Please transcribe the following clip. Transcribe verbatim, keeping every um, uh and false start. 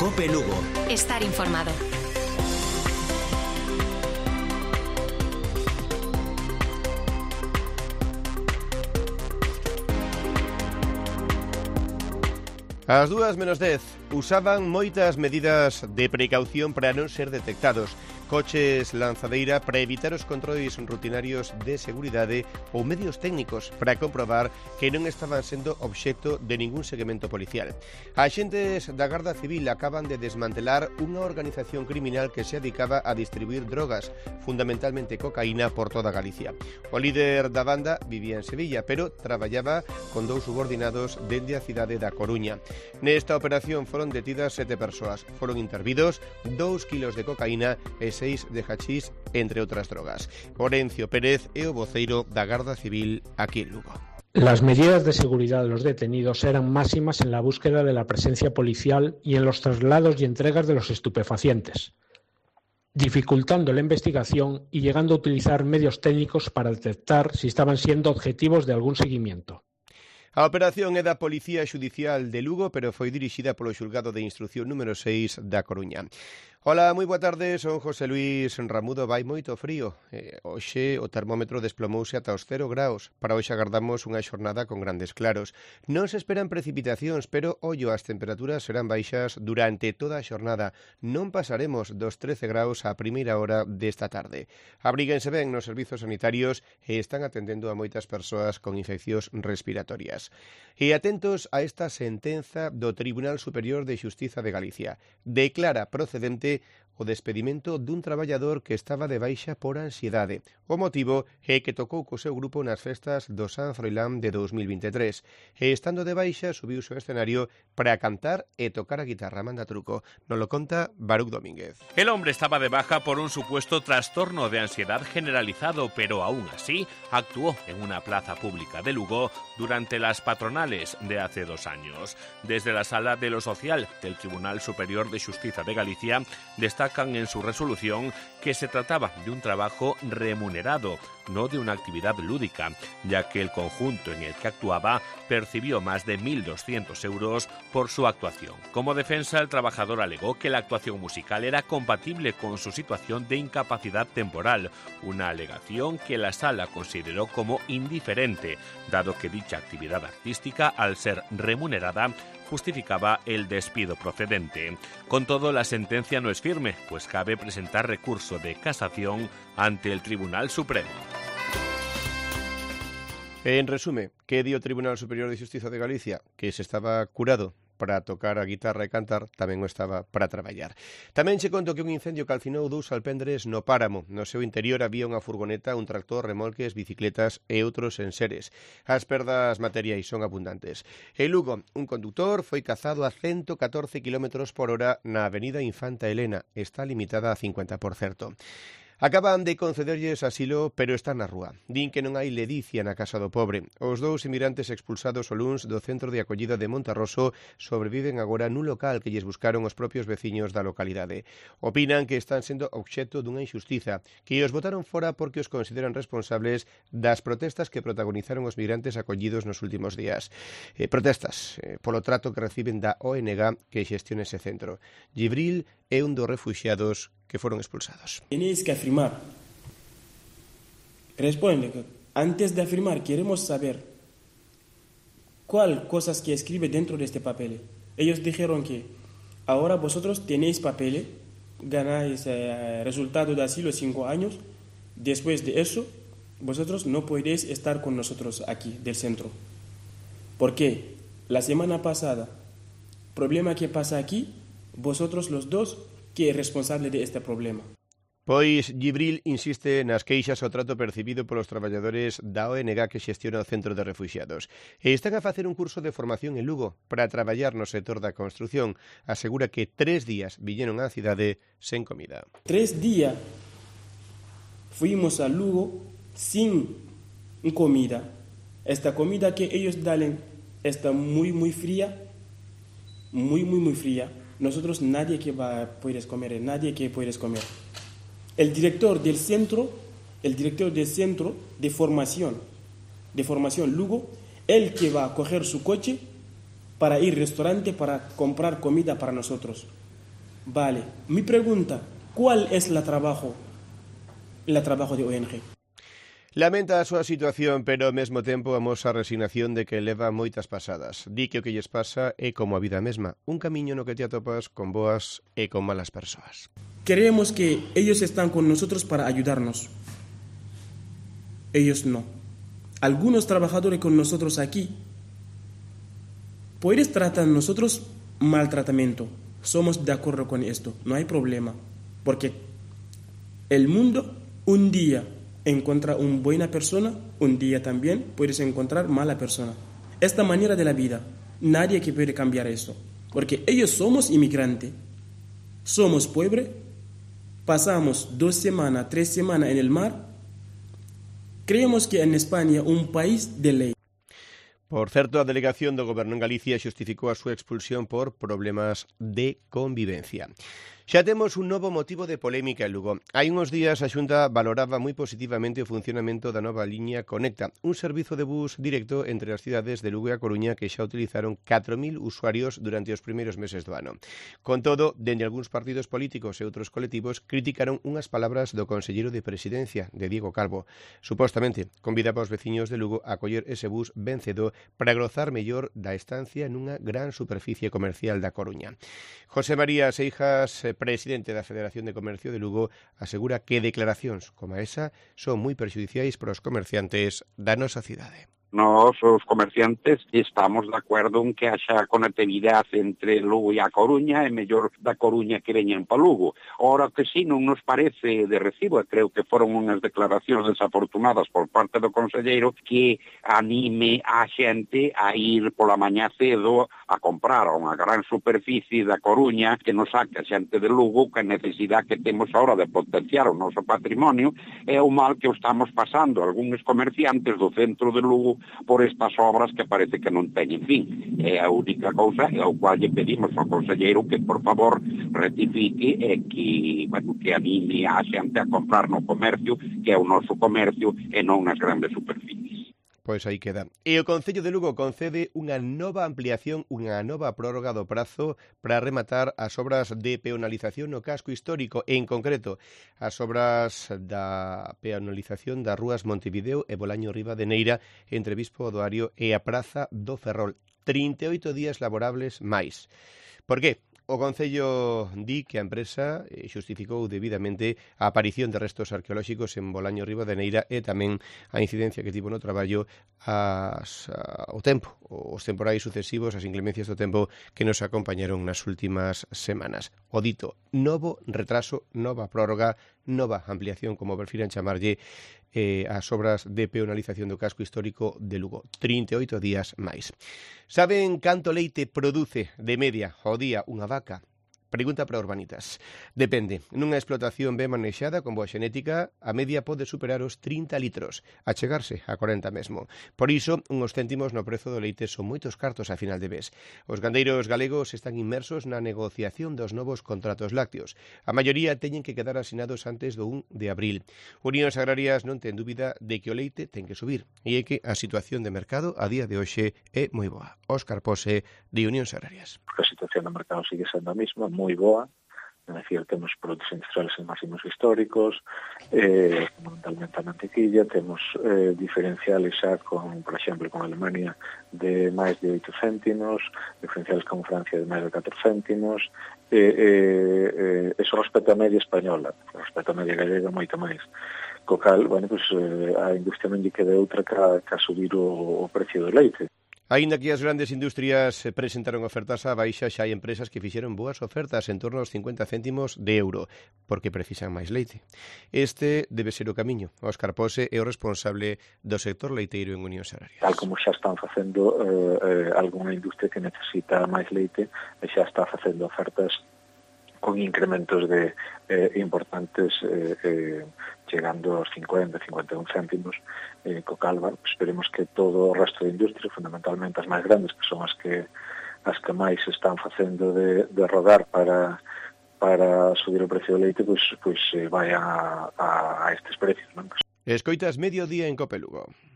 COPE Lugo. Estar informado. Ás dúas menos dez usaban moitas medidas de precaución para non ser detectados. Coches lanzadeira para evitar os controis rutinarios de seguridade ou medios técnicos para comprobar que non estaban sendo obxecto de ningún seguimento policial. Axentes da Garda Civil acaban de desmantelar unha organización criminal que se dedicaba a distribuir drogas, fundamentalmente cocaína, por toda Galicia. O líder da banda vivía en Sevilla, pero traballaba con dous subordinados dende a cidade da Coruña. Nesta operación foron detidas sete persoas. Foron intervidos dous kilos de cocaína e seis de hachís, entre outras drogas. Orencio Pérez é o voceiro da Garda Civil aquí en Lugo. Las medidas de seguridad de los detenidos eran máximas en la búsqueda de la presencia policial y en los traslados y entregas de los estupefacientes, dificultando la investigación y llegando a utilizar medios técnicos para detectar si estaban siendo objetivos de algún seguimiento. A operación é da Policía Xudicial de Lugo, pero foi dirixida polo Xulgado de Instrucción número seis da Coruña. Ola, moi boa tarde, son José Luis Ramudo. Vai moito frío. Eh, hoxe o termómetro desplomouse ata os cero graus. Para hoxe agardamos unha xornada con grandes claros. Non se esperan precipitacións, pero ollo, as temperaturas serán baixas durante toda a xornada. Non pasaremos dos trece graus á primeira hora desta tarde. Abríguense ben nos servizos sanitarios e están atendendo a moitas persoas con infeccións respiratorias. E atentos a esta sentenza do Tribunal Superior de Xustiza de Galicia. Declara procedente o despedimento dun traballador que estaba de baixa por ansiedade. O motivo é que tocou co seu grupo nas festas do San Froilán de dos mil vinte e tres e, estando de baixa, subiuse ao escenario para cantar e tocar a guitarra. Manda truco. Nos lo conta Baruch Domínguez. El hombre estaba de baja por un supuesto trastorno de ansiedad generalizado, pero aún así actuó en una plaza pública de Lugo durante las patronales de hace dos años. Desde la Sala de lo Social del Tribunal Superior de Xustiza de Galicia destacan en su resolución que se trataba de un trabajo remunerado, no de una actividad lúdica, ya que el conjunto en el que actuaba percibió más de mil doscientos euros por su actuación. Como defensa, el trabajador alegó que la actuación musical era compatible con su situación de incapacidad temporal, una alegación que la sala consideró como indiferente, dado que dicha actividad artística, al ser remunerada, justificaba el despido procedente. Con todo, la sentencia no es firme, pues cabe presentar recurso de casación ante el Tribunal Supremo. En resume, que di o Tribunal Superior de Xustiza de Galicia? Que se estaba curado para tocar a guitarra e cantar, tamén o estaba para traballar. Tamén che conto que un incendio calcinou dous alpendres no Páramo. No seu interior había unha furgoneta, un tractor, remolques, bicicletas e outros enseres. As perdas materiais son abundantes. En Lugo, un conductor foi cazado a ciento catorce kilómetros por hora na avenida Infanta Elena. Está limitada a cincuenta por ciento. Acaban de concederlles asilo, pero están na rúa. Din que non hai ledicia na casa do pobre. Os dous inmigrantes expulsados o luns do centro de acollida de Monterroso sobreviven agora nun local que lles buscaron os propios veciños da localidade. Opinan que están sendo obxecto dunha injustiza, que os botaron fora porque os consideran responsables das protestas que protagonizaron os migrantes acollidos nos últimos días. Eh, protestas eh, polo trato que reciben da O N G que xestiona ese centro. Gibril é un dos refuxiados que fueron expulsados. Tenéis que afirmar. Responde que antes de afirmar queremos saber cuál cosas que escribe dentro de este papel. Ellos dijeron que ahora vosotros tenéis papel, ganáis eh, resultado de asilo cinco años. Después de eso, vosotros no podéis estar con nosotros aquí del centro. ¿Por qué? La semana pasada, problema que pasa aquí, vosotros los dos, que é responsable de este problema. Pois Gibril insiste nas queixas ao trato percibido polos traballadores da O N G que xestiona o centro de refuxiados. E están a facer un curso de formación en Lugo para traballar no sector da construción. Asegura que tres días viñeron á cidade sen comida. Tres días fuimos a Lugo sin comida. Esta comida que ellos dan está muy, muy fría, muy, muy, muy fría. Nosotros nadie que va a poder comer, nadie que puedes comer. El director del centro, el director del centro de formación, de formación Lugo, él que va a coger su coche para ir al restaurante para comprar comida para nosotros. Vale, mi pregunta, ¿cuál es la trabajo, el trabajo de O N G? Lamenta a súa situación, pero ao mesmo tempo amosa a resignación de que leva moitas pasadas. Di que o que lles pasa é como a vida mesma, un camiño no que te atopas con boas e con malas persoas. Creemos que ellos están con nosotros para ayudarnos. Ellos no. Algunos trabajadores con nosotros aquí, puedes tratar a nosotros maltratamiento. Somos de acuerdo con esto, no hay problema. Porque el mundo un día encuentra una buena persona, un día también puedes encontrar mala persona. Esta manera de la vida, nadie que puede cambiar esto. Porque ellos somos inmigrantes, somos pobres, pasamos dos semanas, tres semanas en el mar. Creemos que en España un país de ley. Por certo, a delegación do Goberno en Galicia xustificou a súa expulsión por problemas de convivencia. Xa temos un novo motivo de polémica en Lugo. Hai uns días a Xunta valoraba moi positivamente o funcionamento da nova liña Conecta, un servizo de bus directo entre as cidades de Lugo e a Coruña que xa utilizaron catro mil usuarios durante os primeiros meses do ano. Con todo, dende algúns partidos políticos e outros colectivos criticaron unhas palabras do conselleiro de Presidencia, de Diego Calvo. Supostamente, convidaba aos veciños de Lugo a coller ese bus vencedor para gozar mellor da estancia nunha gran superficie comercial da Coruña. José María Seijas, presidente da Federación de Comercio de Lugo, asegura que declaracións como esa son moi perxudiciais para os comerciantes da nosa cidade. Nós, os comerciantes, estamos de acordo en que haxa conectividade entre Lugo e a Coruña, e mellor da Coruña que veñen para Lugo. Ora que si non nos parece de recibo, e creo que foron unhas declaracións desafortunadas por parte do conselleiro, que anime a xente a ir pola mañá cedo a comprar a unha gran superficie da Coruña que nos saque a xente de Lugo, que a necesidade que temos ahora de potenciar o noso patrimonio é o mal que o estamos pasando algúns comerciantes do centro de Lugo por estas obras que parece que non teñen fin. É a única cousa ao cual lle pedimos ao conselleiro que, por favor, rectifique e que, bueno, que anime a xente a comprar no comercio, que é o noso comercio, e non nas grandes superficies. Pois aí queda. E o Concello de Lugo concede unha nova ampliación, unha nova prórroga do prazo para rematar as obras de peonalización no casco histórico, e en concreto as obras da peonalización das rúas Montevideo e Bolaño Ribadeneira entre Bispo Odoario e a Praza do Ferrol. trinta e oito días laborables máis. Por que? O Concello di que a empresa xustificou debidamente a aparición de restos arqueolóxicos en Bolaño Ribadeneira e tamén a incidencia que tivo no traballo as, a, o tempo, os temporais sucesivos, as inclemencias do tempo que nos acompañaron nas últimas semanas. O dito, novo retraso, nova prórroga, nova ampliación, como prefiran chamarlle, eh, as obras de peonalización do casco histórico de Lugo. trinta e oito días máis. Saben canto leite produce de media ao día unha vaca? Pregunta para Urbanitas. Depende. Nunha explotación ben manexada con boa xenética, a media pode superar os trinta litros, a chegarse a corenta mesmo. Por iso, unhos céntimos no prezo do leite son moitos cartos a final de mes. Os gandeiros galegos están inmersos na negociación dos novos contratos lácteos. A maioría teñen que quedar asinados antes do un de abril. Unións Agrarias non ten dúbida de que o leite ten que subir, e é que a situación de mercado a día de hoxe é moi boa. Óscar Pose, de Unións Agrarias. A situación do mercado sigue sendo a mesma, moi boa, é dicir, temos produtos industriales en máximos históricos, eh, fundamentalmente a mantequilla, temos eh, diferenciales xa con, por exemplo, con Alemania de máis de oito céntimos, diferenciales con Francia de máis de catro céntimos, e eh, eh, eh, eso respecto a media española, respecto a media gallega moito máis. Co cal, bueno, pues, eh, a industria non lle queda outra que a, que a subir o, o precio do leite. Aínda que as grandes industrias presentaron ofertas á baixa, xa hai empresas que fixeron boas ofertas en torno aos cincuenta céntimos de euro, porque precisan máis leite. Este debe ser o camiño. Óscar Pose é o responsable do sector leiteiro en Unións Agrarias. Tal como xa están facendo eh, eh, algunha industria que necesita máis leite, e xa está facendo ofertas con incrementos de eh, importantes eh, eh, chegando aos cincuenta, cincuenta e un céntimos eh, co calva. Esperemos que todo o resto de industria, fundamentalmente as máis grandes, que son as que as que máis están facendo de, de rodar para para subir o precio do leite, pois, pois eh, vai a, a, a estes precios, non? Escoitas Mediodía en Cope Lugo.